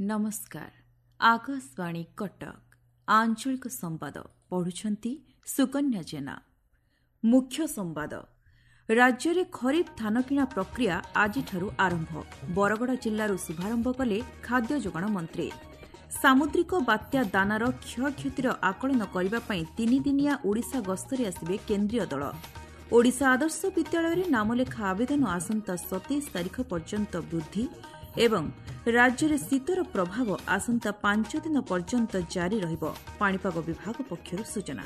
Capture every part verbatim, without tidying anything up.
ନମସ୍କାର, ଆକାଶବାଣୀ କଟକ, ଆଞ୍ଚଳିକ ସମ୍ବାଦ ପଢୁଛନ୍ତି ସୁକନ୍ୟା ଜେନା। ମୁଖ୍ୟ ସମ୍ବାଦ, ରାଜ୍ୟରେ ଖରିଫ ଧାନକିଣା ପ୍ରକ୍ରିୟା ଆଜିଠାରୁ ଆରମ୍ଭ। ବରଗଡ଼ ଜିଲ୍ଲାରୁ ଶୁଭାରମ୍ଭ କଲେ ଖାଦ୍ୟ ଯୋଗାଣ ମନ୍ତ୍ରୀ। ସାମୁଦ୍ରିକ ବାତ୍ୟା ଦାନାର କ୍ଷୟକ୍ଷତିର ଆକଳନ କରିବା ପାଇଁ ତିନିଦିନିଆ ଓଡ଼ିଶା ଗସ୍ତରେ ଆସିବେ କେନ୍ଦ୍ରୀୟ ଦଳ। ଓଡ଼ିଶା ଆଦର୍ଶ ବିଦ୍ୟାଳୟରେ ନାମଲେଖା ଆବେଦନ ଆସନ୍ତା ସତେଇଶ ତାରିଖ ପର୍ଯ୍ୟନ୍ତ ବୃଦ୍ଧି ଏବଂ ରାଜ୍ୟରେ ଶୀତର ପ୍ରଭାବ ଆସନ୍ତା ପାଞ୍ଚ ଦିନ ପର୍ଯ୍ୟନ୍ତ ଜାରି ରହିବ, ପାଣିପାଗ ବିଭାଗ ପକ୍ଷରୁ ସୂଚନା।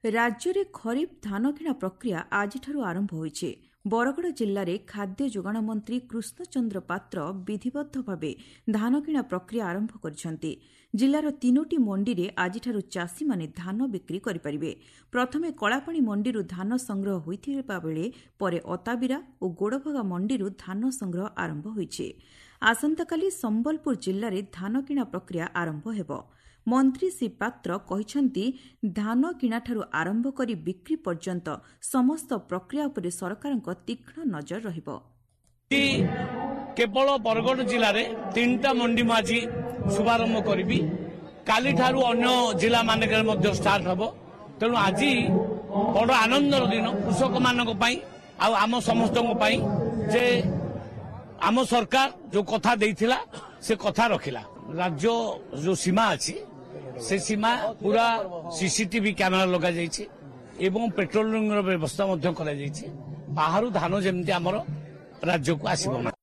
ରାଜ୍ୟରେ ଖରିଫ ଧାନକିଣା ପ୍ରକ୍ରିୟା ଆଜିଠାରୁ ଆରମ୍ଭ ହୋଇଛି। ବରଗଡ଼ ଜିଲ୍ଲାରେ ଖାଦ୍ୟ ଯୋଗାଣ ମନ୍ତ୍ରୀ କୃଷ୍ଣଚନ୍ଦ୍ର ପାତ୍ର ବିଧିବଦ୍ଧ ଭାବେ ଧାନକିଣା ପ୍ରକ୍ରିୟା ଆରମ୍ଭ କରିଛନ୍ତି। ଜିଲ୍ଲାର ତିନୋଟି ମଣ୍ଡିରେ ଆଜିଠାରୁ ଚାଷୀମାନେ ଧାନ ବିକ୍ରି କରିପାରିବେ। ପ୍ରଥମେ କଳାପାଣି ମଣ୍ଡିରୁ ଧାନ ସଂଗ୍ରହ ହୋଇଥିବା ବେଳେ ପରେ ଅତାବିରା ଓ ଗୋଡ଼ଭଗା ମଣ୍ଡିରୁ ଧାନ ସଂଗ୍ରହ ଆରମ୍ଭ ହୋଇଛି। ଆସନ୍ତାକାଲି ସମ୍ବଲପୁର ଜିଲ୍ଲାରେ ଧାନକିଣା ପ୍ରକ୍ରିୟା ଆରମ୍ଭ ହେବ। ମନ୍ତ୍ରୀ ଶ୍ରୀ ପାତ୍ର କହିଛନ୍ତି, ଧାନ କିଣାଠାରୁ ଆରମ୍ଭ କରି ବିକ୍ରି ପର୍ଯ୍ୟନ୍ତ ସମସ୍ତ ପ୍ରକ୍ରିୟା ଉପରେ ସରକାରଙ୍କ ତୀକ୍ଷ୍ଣ ନଜର ରହିବ। କେବଳ ବରଗଡ଼ ଜିଲ୍ଲାରେ ତିନିଟା ମଣ୍ଡି ମୁଁ ଆଜି ଶୁଭାରମ୍ଭ କରିବି। କାଲିଠାରୁ ଅନ୍ୟ ଜିଲ୍ଲାମାନଙ୍କରେ ମଧ୍ୟ ଷ୍ଟାର୍ଟ ହେବ। ତେଣୁ ଆଜି ବଡ଼ ଆନନ୍ଦର ଦିନ କୃଷକମାନଙ୍କ ପାଇଁ ଆଉ ଆମ ସମସ୍ତଙ୍କ ପାଇଁ ଯେ ଆମ ସରକାର ଯୋଉ କଥା ଦେଇଥିଲା ସେ କଥା ରଖିଲା। ରାଜ୍ୟ ଯୋଉ ସୀମା ଅଛି ସେ ସୀମା ପୁରା ସିସିଟିଭି କ୍ୟାମେରା ଲଗାଯାଇଛି ଏବଂ ପେଟ୍ରୋଲିଂର ବ୍ୟବସ୍ଥା ମଧ୍ୟ କରାଯାଇଛି। ବାହାରୁ ଧାନ ଯେମିତି ଆମର ରାଜ୍ୟକୁ ଆସିବ ନାହିଁ।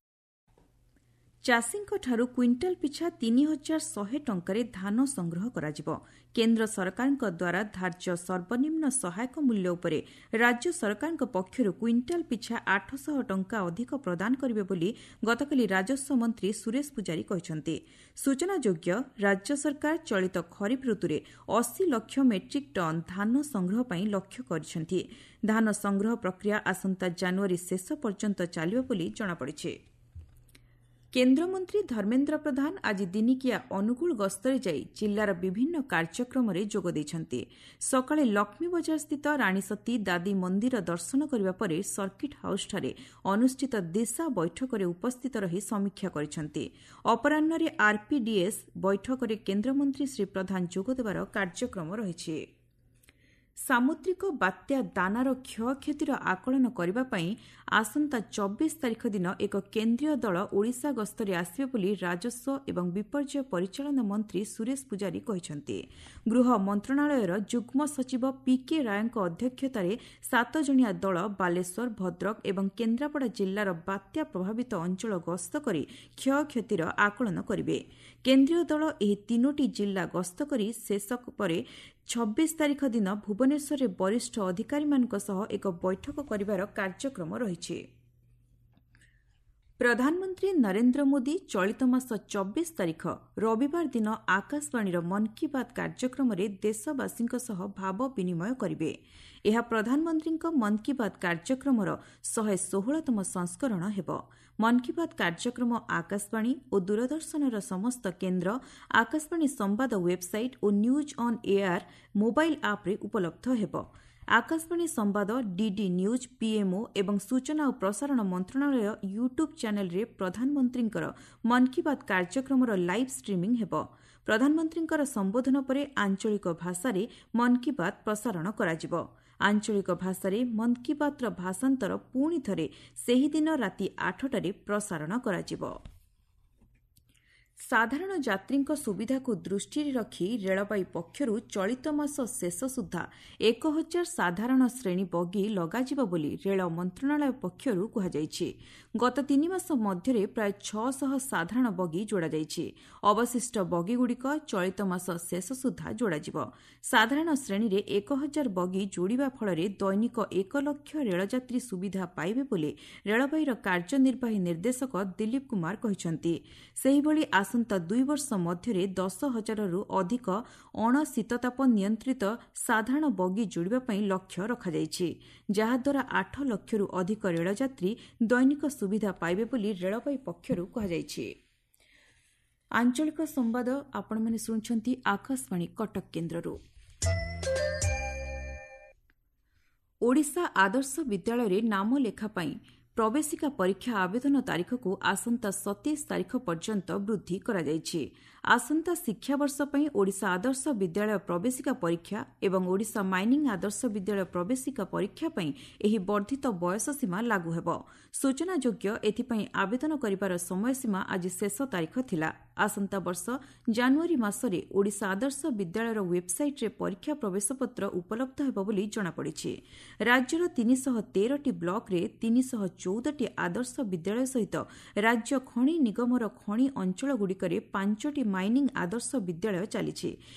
ଚାଷୀଙ୍କଠାରୁ କ୍ୱିଣ୍ଟାଲ ପିଛା ତିନି ହଜାର ଶହେ ଟଙ୍କାରେ ଧାନ ସଂଗ୍ରହ କରାଯିବ। କେନ୍ଦ୍ର ସରକାରଙ୍କ ଦ୍ୱାରା ଧାର୍ଯ୍ୟ ସର୍ବନିମ୍ନ ସହାୟକ ମୂଲ୍ୟ ଉପରେ ରାଜ୍ୟ ସରକାରଙ୍କ ପକ୍ଷରୁ କ୍ୱିଣ୍ଟାଲ ପିଛା ଆଠଶହ ଟଙ୍କା ଅଧିକ ପ୍ରଦାନ କରିବେ ବୋଲି ଗତକାଲି ରାଜସ୍ୱ ମନ୍ତ୍ରୀ ସୁରେଶ ପୂଜାରୀ କହିଛନ୍ତି। ସୂଚନାଯୋଗ୍ୟ, ରାଜ୍ୟ ସରକାର ଚଳିତ ଖରିଫ ଋତୁରେ ଅଶୀ ଲକ୍ଷ ମେଟ୍ରିକ୍ ଟନ୍ ଧାନ ସଂଗ୍ରହ ପାଇଁ ଲକ୍ଷ୍ୟ କରିଛନ୍ତି। ଧାନ ସଂଗ୍ରହ ପ୍ରକ୍ରିୟା ଆସନ୍ତା ଜାନୁଆରୀ ଶେଷ ପର୍ଯ୍ୟନ୍ତ ଚାଲିବ ବୋଲି ଜଣାପଡ଼ିଛି। କେନ୍ଦ୍ରମନ୍ତ୍ରୀ ଧର୍ମେନ୍ଦ୍ର ପ୍ରଧାନ ଆଜି ଦିନିକିଆ ଅନୁଗୁଳ ଗସ୍ତରେ ଯାଇ ଜିଲ୍ଲାର ବିଭିନ୍ନ କାର୍ଯ୍ୟକ୍ରମରେ ଯୋଗ ଦେଇଛନ୍ତି। ସକାଳେ ଲକ୍ଷ୍ମୀବଜାରସ୍ଥିତ ରାଣୀସତୀ ଦାଦି ମନ୍ଦିର ଦର୍ଶନ କରିବା ପରେ ସର୍କିଟ୍ ହାଉସ୍ଠାରେ ଅନୁଷ୍ଠିତ ଦିଶା ବୈଠକରେ ଉପସ୍ଥିତ ରହି ସମୀକ୍ଷା କରିଛନ୍ତି। ଅପରାହ୍ନରେ ଆର୍ପିଡିଏସ୍ ବୈଠକରେ କେନ୍ଦ୍ରମନ୍ତ୍ରୀ ଶ୍ରୀ ପ୍ରଧାନ ଯୋଗଦେବାର କାର୍ଯ୍ୟକ୍ରମ ରହିଛି। ସାମୁଦ୍ରିକ ବାତ୍ୟା ଦାନାର କ୍ଷୟକ୍ଷତିର ଆକଳନ କରିବା ପାଇଁ ଆସନ୍ତା ଚବିଶ ତାରିଖ ଦିନ ଏକ କେନ୍ଦ୍ରୀୟ ଦଳ ଓଡ଼ିଶା ଗସ୍ତରେ ଆସିବେ ବୋଲି ରାଜସ୍ୱ ଏବଂ ବିପର୍ଯ୍ୟୟ ପରିଚାଳନା ମନ୍ତ୍ରୀ ସୁରେଶ ପୂଜାରୀ କହିଛନ୍ତି। ଗୃହ ମନ୍ତ୍ରଣାଳୟର ଯୁଗ୍ମ ସଚିବ ପିକେ ରାୟଙ୍କ ଅଧ୍ୟକ୍ଷତାରେ ସାତ ଜଣିଆ ଦଳ ବାଲେଶ୍ୱର, ଭଦ୍ରକ ଏବଂ କେନ୍ଦ୍ରାପଡ଼ା ଜିଲ୍ଲାର ବାତ୍ୟା ପ୍ରଭାବିତ ଅଞ୍ଚଳ ଗସ୍ତ କରି କ୍ଷୟକ୍ଷତିର ଆକଳନ କରିବେ। କେନ୍ଦ୍ରୀୟ ଦଳ ଏହି ତିନୋଟି ଜିଲ୍ଲା ଗସ୍ତ କରି ଶେଷ ପରେ ଛବିଶ ତାରିଖ ଦିନ ଭୁବନେଶ୍ୱରରେ ବରିଷ୍ଠ ଅଧିକାରୀମାନଙ୍କ ସହ ଏକ ବୈଠକ କରିବାର କାର୍ଯ୍ୟକ୍ରମ ରହିଛି। ପ୍ରଧାନମନ୍ତ୍ରୀ ନରେନ୍ଦ୍ର ମୋଦି ଚଳିତ ମାସ ଚବିଶ ତାରିଖ ରବିବାର ଦିନ ଆକାଶବାଣୀର ମନ୍ କି ବାତ୍ କାର୍ଯ୍ୟକ୍ରମରେ ଦେଶବାସୀଙ୍କ ସହ ଭାବ ବିନିମୟ କରିବେ। ଏହା ପ୍ରଧାନମନ୍ତ୍ରୀଙ୍କ ମନ୍ କି ବାତ୍ କାର୍ଯ୍ୟକ୍ରମର ଶହେ ଷୋହଳତମ ସଂସ୍କରଣ ହେବ। ମନ୍ କି ବାତ୍ କାର୍ଯ୍ୟକ୍ରମ ଆକାଶବାଣୀ ଓ ଦୂରଦର୍ଶନର ସମସ୍ତ କେନ୍ଦ୍ର, ଆକାଶବାଣୀ ସମ୍ବାଦ website O news on air mobile ଆପ୍ରେ ଉପଲବ୍ଧ ହେବ। ଆକାଶବାଣୀ ସମ୍ବାଦ, ଡିଡି ନ୍ୟୁଜ୍, ପିଏମ୍ଓ ଏବଂ ସୂଚନା ଓ ପ୍ରସାରଣ ମନ୍ତ୍ରଣାଳୟ ୟୁଟ୍ୟୁବ୍ ଚ୍ୟାନେଲ୍ରେ ପ୍ରଧାନମନ୍ତ୍ରୀଙ୍କର ମନ୍ କି ବାତ୍ କାର୍ଯ୍ୟକ୍ରମର ଲାଇଭ୍ ଷ୍ଟ୍ରିମିଂ ହେବ। ପ୍ରଧାନମନ୍ତ୍ରୀଙ୍କର ସମ୍ବୋଧନ ପରେ ଆଞ୍ଚଳିକ ଭାଷାରେ ମନ୍ କି ବାତ୍ ପ୍ରସାରଣ କରାଯିବ। ଆଞ୍ଚଳିକ ଭାଷାରେ ମନ୍ କି ବାତ୍ର ଭାଷାନ୍ତର ପୁଣି ଥରେ ସେହିଦିନ ରାତି ଆଠଟାରେ ପ୍ରସାରଣ କରାଯିବ। ସାଧାରଣ ଯାତ୍ରୀଙ୍କ ସୁବିଧାକୁ ଦୃଷ୍ଟିରେ ରଖି ରେଳବାଇ ପକ୍ଷରୁ ଚଳିତ ମାସ ଶେଷ ସୁଦ୍ଧା ଏକ ହଜାର ସାଧାରଣ ଶ୍ରେଣୀ ବଗି ଲଗାଯିବ ବୋଲି ରେଳ ମନ୍ତ୍ରଣାଳୟ ପକ୍ଷରୁ କୁହାଯାଇଛି। ଗତ ତିନି ମାସ ମଧ୍ୟରେ ପ୍ରାୟ ଛଅଶହ ସାଧାରଣ ବଗି ଯୋଡ଼ାଯାଇଛି। ଅବଶିଷ୍ଟ ବଗିଗୁଡ଼ିକ ଚଳିତ ମାସ ଶେଷ ସୁଦ୍ଧା ଯୋଡ଼ାଯିବ। ସାଧାରଣ ଶ୍ରେଣୀରେ ଏକ ହଜାର ବଗି ଯୋଡ଼ିବା ଫଳରେ ଦୈନିକ ଏକ ଲକ୍ଷ ରେଳଯାତ୍ରୀ ସୁବିଧା ପାଇବେ ବୋଲି ରେଳବାଇର କାର୍ଯ୍ୟନିର୍ବାହୀ ନିର୍ଦ୍ଦେଶକ ଦିଲ୍ଲୀପ କୁମାର କହିଛନ୍ତି। ସେହିଭଳି ଆସନ୍ତା ଦୁଇ ବର୍ଷ ମଧ୍ୟରେ ଦଶ ହଜାରରୁ ଅଧିକ ଅଣଶୀତତାପ ନିୟନ୍ତ୍ରିତ ସାଧାରଣ ବଗି ଯୋଡ଼ିବା ପାଇଁ ଲକ୍ଷ୍ୟ ରଖାଯାଇଛି, ଯାହାଦ୍ୱାରା ଆଠ ଲକ୍ଷରୁ ଅଧିକ ରେଳଯାତ୍ରୀ ଦୈନିକ ସୁବିଧା ପାଇବେ ବୋଲି ରେଳବାଇ ପକ୍ଷରୁ କୁହାଯାଇଛି। ଆଞ୍ଚଳିକ ସମ୍ବାଦ ଆପଣମାନେ ଶୁଣୁଛନ୍ତି ଆକାଶବାଣୀ କଟକ କେନ୍ଦ୍ରରୁ। ଓଡ଼ିଶା ଆଦର୍ଶ ବିଦ୍ୟାଳୟରେ ନାମ ଲେଖା ପାଇଁ ପ୍ରବେଶିକା ପରୀକ୍ଷା ଆବେଦନ ତାରିଖକୁ ଆସନ୍ତା ସତେଇଶ ତାରିଖ ପର୍ଯ୍ୟନ୍ତ ବୃଦ୍ଧି କରାଯାଇଛି। ଆସନ୍ତା ଶିକ୍ଷାବର୍ଷ ପାଇଁ ଓଡ଼ିଶା ଆଦର୍ଶ ବିଦ୍ୟାଳୟ ପ୍ରବେଶିକା ପରୀକ୍ଷା ଏବଂ ଓଡ଼ିଶା ମାଇନିଂ ଆଦର୍ଶ ବିଦ୍ୟାଳୟ ପ୍ରବେଶିକା ପରୀକ୍ଷା ପାଇଁ ଏହି ବର୍ଦ୍ଧିତ ବୟସ ସୀମା ଲାଗୁ ହେବ। ସୂଚନାଯୋଗ୍ୟ, ଏଥିପାଇଁ ଆବେଦନ କରିବାର ସମୟସୀମା ଆଜି ଶେଷ ତାରିଖ ଥିଲା। ଆସନ୍ତା ବର୍ଷ ଜାନୁଆରୀ ମାସରେ ଓଡ଼ିଶା ଆଦର୍ଶ ବିଦ୍ୟାଳୟର ୱେବ୍ସାଇଟ୍ରେ ପରୀକ୍ଷା ପ୍ରବେଶପତ୍ର ଉପଲବ୍ଧ ହେବ ବୋଲି ଜଣାପଡ଼ିଛି। ରାଜ୍ୟର ତିନିଶହ ତେରଟି ବ୍ଲକରେ ତିନିଶହ ଚଉଦଟି ଆଦର୍ଶ ବିଦ୍ୟାଳୟ ସହିତ ରାଜ୍ୟ ଖଣି ନିଗମର ଖଣି ଅଞ୍ଚଳଗୁଡ଼ିକରେ ପାଞ୍ଚଟି ମାଇନିଂ ଆଦର୍ଶ ବିଦ୍ୟାଳୟ ଚାଲିଛି।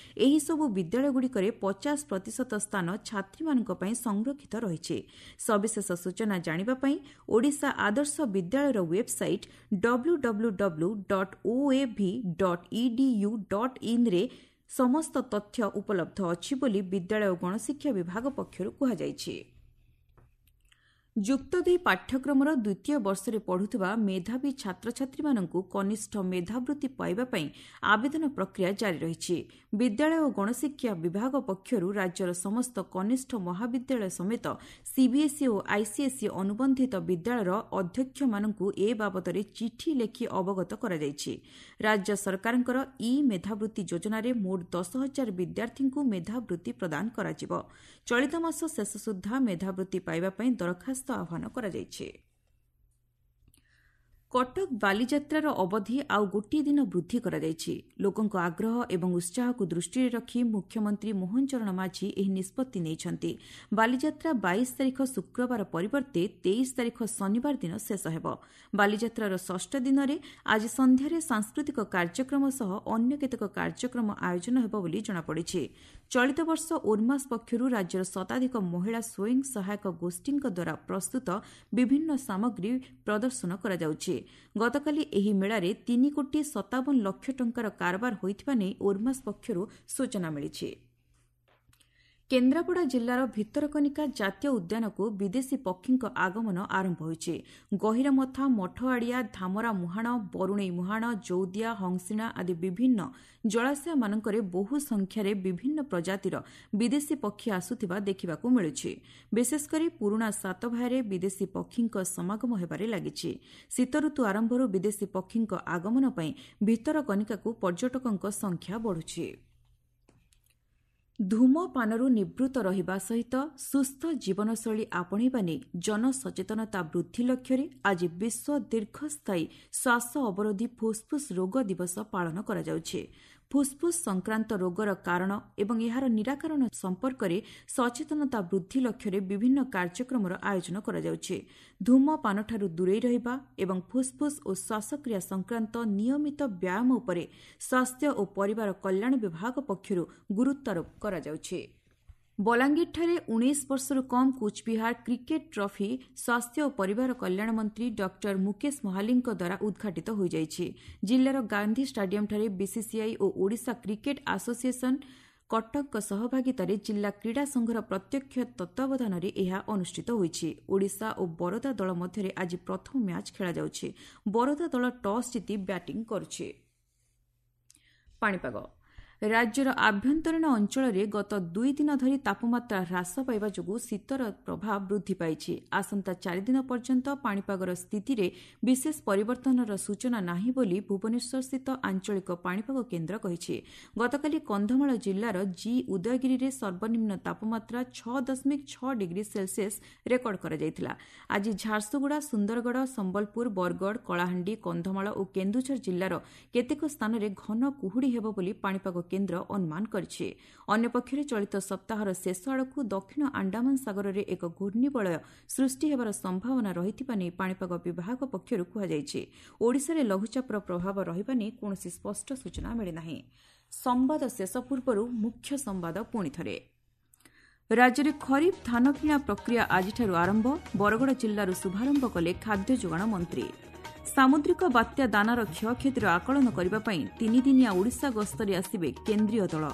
ଏହିସବୁ ବିଦ୍ୟାଳୟଗୁଡ଼ିକରେ ପଚାଶ ପ୍ରତିଶତ ସ୍ଥାନ ଛାତ୍ରୀମାନଙ୍କ ପାଇଁ ସଂରକ୍ଷିତ ରହିଛି। ସବିଶେଷ ସୂଚନା ଜାଣିବା ପାଇଁ ଓଡ଼ିଶା ଆଦର୍ଶ ବିଦ୍ୟାଳୟର website W W W dot O A V dot E D U dot ଇନ୍ରେ ସମସ୍ତ ତଥ୍ୟ ଉପଲବ୍ଧ ଅଛି ବୋଲି ବିଦ୍ୟାଳୟ ଓ ଗଣଶିକ୍ଷା ବିଭାଗ ପକ୍ଷରୁ କୁହାଯାଇଛି। ଯୁକ୍ତ ଦୁଇ ପାଠ୍ୟକ୍ରମର ଦ୍ୱିତୀୟ ବର୍ଷରେ ପଢ଼ୁଥିବା ମେଧାବୀ ଛାତ୍ରଛାତ୍ରୀମାନଙ୍କୁ କନିଷ୍ଠ ମେଧାବୃତ୍ତି ପାଇବା ପାଇଁ ଆବେଦନ ପ୍ରକ୍ରିୟା ଜାରି ରହିଛି। ବିଦ୍ୟାଳୟ ଓ ଗଣଶିକ୍ଷା ବିଭାଗ ପକ୍ଷରୁ ରାଜ୍ୟର ସମସ୍ତ କନିଷ୍ଠ ମହାବିଦ୍ୟାଳୟ ସମେତ ସିବିଏସ୍ଇ ଓ ଆଇସିଏସ୍ଇ ଅନୁବନ୍ଧିତ ବିଦ୍ୟାଳୟର ଅଧ୍ୟକ୍ଷମାନଙ୍କୁ ଏ ବାବଦରେ ଚିଠି ଲେଖି ଅବଗତ କରାଯାଇଛି। ରାଜ୍ୟ ସରକାରଙ୍କର ଇ ମେଧାବୃତ୍ତି ଯୋଜନାରେ ମୋଟ ଦଶ ହଜାର ବିଦ୍ୟାର୍ଥୀଙ୍କୁ ମେଧାବୃତ୍ତି ପ୍ରଦାନ କରାଯିବ। ଚଳିତ ମାସ ଶେଷ ସୁଦ୍ଧା ମେଧାବୃତ୍ତି ପାଇବା ପାଇଁ ଦରଖାସ୍ତ ଆହ୍ୱାନ କରାଯାଇଛି। କଟକ ବାଲିଯାତ୍ରାର ଅବଧି ଆଉ ଗୋଟିଏ ଦିନ ବୃଦ୍ଧି କରାଯାଇଛି। ଲୋକଙ୍କ ଆଗ୍ରହ ଏବଂ ଉତ୍ସାହକୁ ଦୃଷ୍ଟିରେ ରଖି ମୁଖ୍ୟମନ୍ତ୍ରୀ ମୋହନ ଚରଣ ମାଝୀ ଏହି ନିଷ୍ପତ୍ତି ନେଇଛନ୍ତି। ବାଲିଯାତ୍ରା ବାଇଶ ତାରିଖ ଶୁକ୍ରବାର ପରିବର୍ତ୍ତେ ତେଇଶ ତାରିଖ ଶନିବାର ଦିନ ଶେଷ ହେବ। ବାଲିଯାତ୍ରାର ଷଷ୍ଠ ଦିନରେ ଆଜି ସନ୍ଧ୍ୟାରେ ସାଂସ୍କୃତିକ କାର୍ଯ୍ୟକ୍ରମ ସହ ଅନ୍ୟ କେତେକ କାର୍ଯ୍ୟକ୍ରମ ଆୟୋଜନ ହେବ ବୋଲି ଜଣାପଡ଼ିଛି। ଚଳିତ ବର୍ଷ ଓର୍ମାସ୍ ପକ୍ଷରୁ ରାଜ୍ୟର ଶତାଧିକ ମହିଳା ସ୍ୱୟଂ ସହାୟକ ଗୋଷ୍ଠୀଙ୍କ ଦ୍ୱାରା ପ୍ରସ୍ତୁତ ବିଭିନ୍ନ ସାମଗ୍ରୀ ପ୍ରଦର୍ଶନ କରାଯାଉଛି। ଗତକାଲି ଏହି ମେଳାରେ ତିନି କୋଟି ସତାବନ ଲକ୍ଷ ଟଙ୍କାର କାରବାର ହୋଇଥିବା ନେଇ ଓର୍ମାସ୍ ପକ୍ଷରୁ ସୂଚନା ମିଳିଛି। କେନ୍ଦ୍ରାପଡ଼ା ଜିଲ୍ଲାର ଭିତରକନିକା ଜାତୀୟ ଉଦ୍ୟାନକୁ ବିଦେଶୀ ପକ୍ଷୀଙ୍କ ଆଗମନ ଆରମ୍ଭ ହୋଇଛି। ଗହୀରମଥା, ମଠଆଡ଼ିଆ, ଧାମରା ମୁହାଣ, ବରୁଣେଇ ମୁହାଣ, ଜଉଦିଆ, ହଂସିଣା ଆଦି ବିଭିନ୍ନ ଜଳାଶୟମାନଙ୍କରେ ବହୁ ସଂଖ୍ୟାରେ ବିଭିନ୍ନ ପ୍ରଜାତିର ବିଦେଶୀ ପକ୍ଷୀ ଆସୁଥିବା ଦେଖିବାକୁ ମିଳୁଛି। ବିଶେଷକରି ପୁରୁଣା ସାତଭାୟାରେ ବିଦେଶୀ ପକ୍ଷୀଙ୍କ ସମାଗମ ହେବାରେ ଲାଗିଛି। ଶୀତଋତୁ ଆରମ୍ଭରୁ ବିଦେଶୀ ପକ୍ଷୀଙ୍କ ଆଗମନ ପାଇଁ ଭିତରକନିକାକୁ ପର୍ଯ୍ୟଟକଙ୍କ ସଂଖ୍ୟା ବଢ଼ୁଛି। ଧୂମପାନରୁ ନିବୃତ୍ତ ରହିବା ସହିତ ସୁସ୍ଥ ଜୀବନଶୈଳୀ ଆପଣେଇବା ନେଇ ଜନସଚେତନତା ବୃଦ୍ଧି ଲକ୍ଷ୍ୟରେ ଆଜି ବିଶ୍ୱ ଦୀର୍ଘସ୍ଥାୟୀ ଶ୍ୱାସ ଅବରୋଧୀ ଫୁସ୍ଫୁସ୍ ରୋଗ ଦିବସ ପାଳନ କରାଯାଉଛି। ଫୁସ୍ଫୁସ୍ ସଂକ୍ରାନ୍ତ ରୋଗର କାରଣ ଏବଂ ଏହାର ନିରାକରଣ ସମ୍ପର୍କରେ ସଚେତନତା ବୃଦ୍ଧି ଲକ୍ଷ୍ୟରେ ବିଭିନ୍ନ କାର୍ଯ୍ୟକ୍ରମର ଆୟୋଜନ କରାଯାଉଛି। ଧୂମପାନଠାରୁ ଦୂରେଇ ରହିବା ଏବଂ ଫୁସ୍ଫୁସ୍ ଓ ଶ୍ୱାସକ୍ରିୟା ସଂକ୍ରାନ୍ତ ନିୟମିତ ବ୍ୟାୟାମ ଉପରେ ସ୍ୱାସ୍ଥ୍ୟ ଓ ପରିବାର କଲ୍ୟାଣ ବିଭାଗ ପକ୍ଷରୁ ଗୁରୁତ୍ୱାରୋପ କରାଯାଉଛି। ବଲାଙ୍ଗୀରଠାରେ ଉଣେଇଶ ବର୍ଷରୁ କମ୍ କୁଚବିହାର କ୍ରିକେଟ୍ ଟ୍ରଫି ସ୍ୱାସ୍ଥ୍ୟ ଓ ପରିବାର କଲ୍ୟାଣ ମନ୍ତ୍ରୀ ଡକ୍ଟର ମୁକେଶ ମହାଲିଙ୍କ ଦ୍ୱାରା ଉଦ୍ଘାଟିତ ହୋଇଯାଇଛି। ଜିଲ୍ଲାର ଗାନ୍ଧୀ ଷ୍ଟାଡିୟମ୍ଠାରେ ବିସିସିଆଇ ଓ ଓଡ଼ିଶା କ୍ରିକେଟ୍ ଆସୋସିଏସନ୍ କଟକଙ୍କ ସହଭାଗିତାରେ ଜିଲ୍ଲା କ୍ରୀଡ଼ା ସଂଘର ପ୍ରତ୍ୟକ୍ଷ ତତ୍ତ୍ୱାବଧାନରେ ଏହା ଅନୁଷ୍ଠିତ ହୋଇଛି। ଓଡ଼ିଶା ଓ ବରୋଦା ଦଳ ମଧ୍ୟରେ ଆଜି ପ୍ରଥମ ମ୍ୟାଚ୍ ଖେଳାଯାଉଛି। ବରୋଦା ଦଳ ଟସ୍ ଜିତି ବ୍ୟାଟିଂ କରୁଛି। ପାଣିପାଗ ରାଜ୍ୟର ଆଭ୍ୟନ୍ତରୀଣ ଅଞ୍ଚଳରେ ଗତ ଦୁଇ ଦିନ ଧରି ତାପମାତ୍ରା ହ୍ରାସ ପାଇବା ଯୋଗୁଁ ଶୀତର ପ୍ରଭାବ ବୃଦ୍ଧି ପାଇଛି। ଆସନ୍ତା ଚାରିଦିନ ପର୍ଯ୍ୟନ୍ତ ପାଣିପାଗର ସ୍ଥିତିରେ ବିଶେଷ ପରିବର୍ତ୍ତନର ସୂଚନା ନାହିଁ ବୋଲି ଭୁବନେଶ୍ୱରସ୍ଥିତ ଆଞ୍ଚଳିକ ପାଣିପାଗ କେନ୍ଦ୍ର କହିଛି। ଗତକାଲି କନ୍ଧମାଳ ଜିଲ୍ଲାର ଜି ଉଦୟଗିରିରେ ସର୍ବନିମ୍ନ ତାପମାତ୍ରା ଛଅ ଦଶମିକ ଛଅ ଡିଗ୍ରୀ ସେଲସିୟସ୍ ରେକର୍ଡ କରାଯାଇଥିଲା। ଆଜି ଝାରସୁଗୁଡ଼ା, ସୁନ୍ଦରଗଡ଼, ସମ୍ବଲପୁର, ବରଗଡ଼, କଳାହାଣ୍ଡି, କନ୍ଧମାଳ ଓ କେନ୍ଦୁଝର ଜିଲ୍ଲାର କେତେକ ସ୍ଥାନରେ ଘନ କୁହୁଡ଼ି ହେବ ବୋଲି ପାଣିପାଗ କେନ୍ଦ୍ର ଅନୁମାନ କରିଛି। ଅନ୍ୟପକ୍ଷରେ ଚଳିତ ସପ୍ତାହର ଶେଷ ଆଡ଼କୁ ଦକ୍ଷିଣ ଆଣ୍ଡାମାନ ସାଗରରେ ଏକ ଘୂର୍ଣ୍ଣିବଳୟ ସୃଷ୍ଟି ହେବାର ସମ୍ଭାବନା ରହିଥିବା ନେଇ ପାଣିପାଗ ବିଭାଗ ପକ୍ଷରୁ କୁହାଯାଇଛି। ଓଡ଼ିଶାରେ ଲଘୁଚାପର ପ୍ରଭାବ ରହିବା ନେଇ କୌଣସି ସ୍ପଷ୍ଟ ସୂଚନା ମିଳିନାହିଁ। ସମ୍ବାଦ ଶେଷ ପୂର୍ବରୁ ମୁଖ୍ୟ ସମ୍ବାଦ ପୁଣିଥରେ। ରାଜ୍ୟରେ ଖରିଫ ଧାନ କିଣା ପ୍ରକ୍ରିୟା ଆଜିଠାରୁ ଆରମ୍ଭ। ବରଗଡ଼ ଜିଲ୍ଲାରୁ ଶୁଭାରମ୍ଭ କଲେ ଖାଦ୍ୟ ଯୋଗାଣ ମନ୍ତ୍ରୀ। ସାମୁଦ୍ରିକ ବାତ୍ୟା ଦାନାର କ୍ଷୟକ୍ଷତିର ଆକଳନ କରିବା ପାଇଁ ତିନିଦିନିଆ ଓଡ଼ିଶା ଗସ୍ତରେ ଆସିବେ କେନ୍ଦ୍ରୀୟ ଦଳ।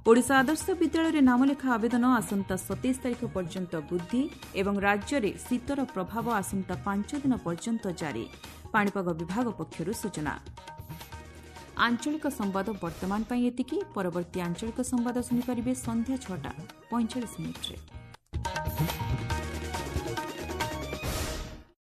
ଓଡ଼ିଶା ଆଦର୍ଶ ବିଦ୍ୟାଳୟରେ ନାମଲେଖା ଆବେଦନ ଆସନ୍ତା ସତେଇଶ ତାରିଖ ପର୍ଯ୍ୟନ୍ତ ବୃଦ୍ଧି ଏବଂ ରାଜ୍ୟରେ ଶୀତର ପ୍ରଭାବ ଆସନ୍ତା ପାଞ୍ଚ ଦିନ ପର୍ଯ୍ୟନ୍ତ ଜାରି, ପାଣିପାଗ ବିଭାଗ ପକ୍ଷରୁ ସୂଚନା। ଆଞ୍ଚଳିକ ସମ୍ବାଦ ବର୍ତ୍ତମାନ ପାଇଁ ଏତିକି। ପରବର୍ତ୍ତୀ ଆଞ୍ଚଳିକ ସମ୍ବାଦ ଶୁଣିପାରିବେ ସନ୍ଧ୍ୟା ଛଅଟା ପଇଁଚାଳିଶ ମିନିଟ୍ରେ।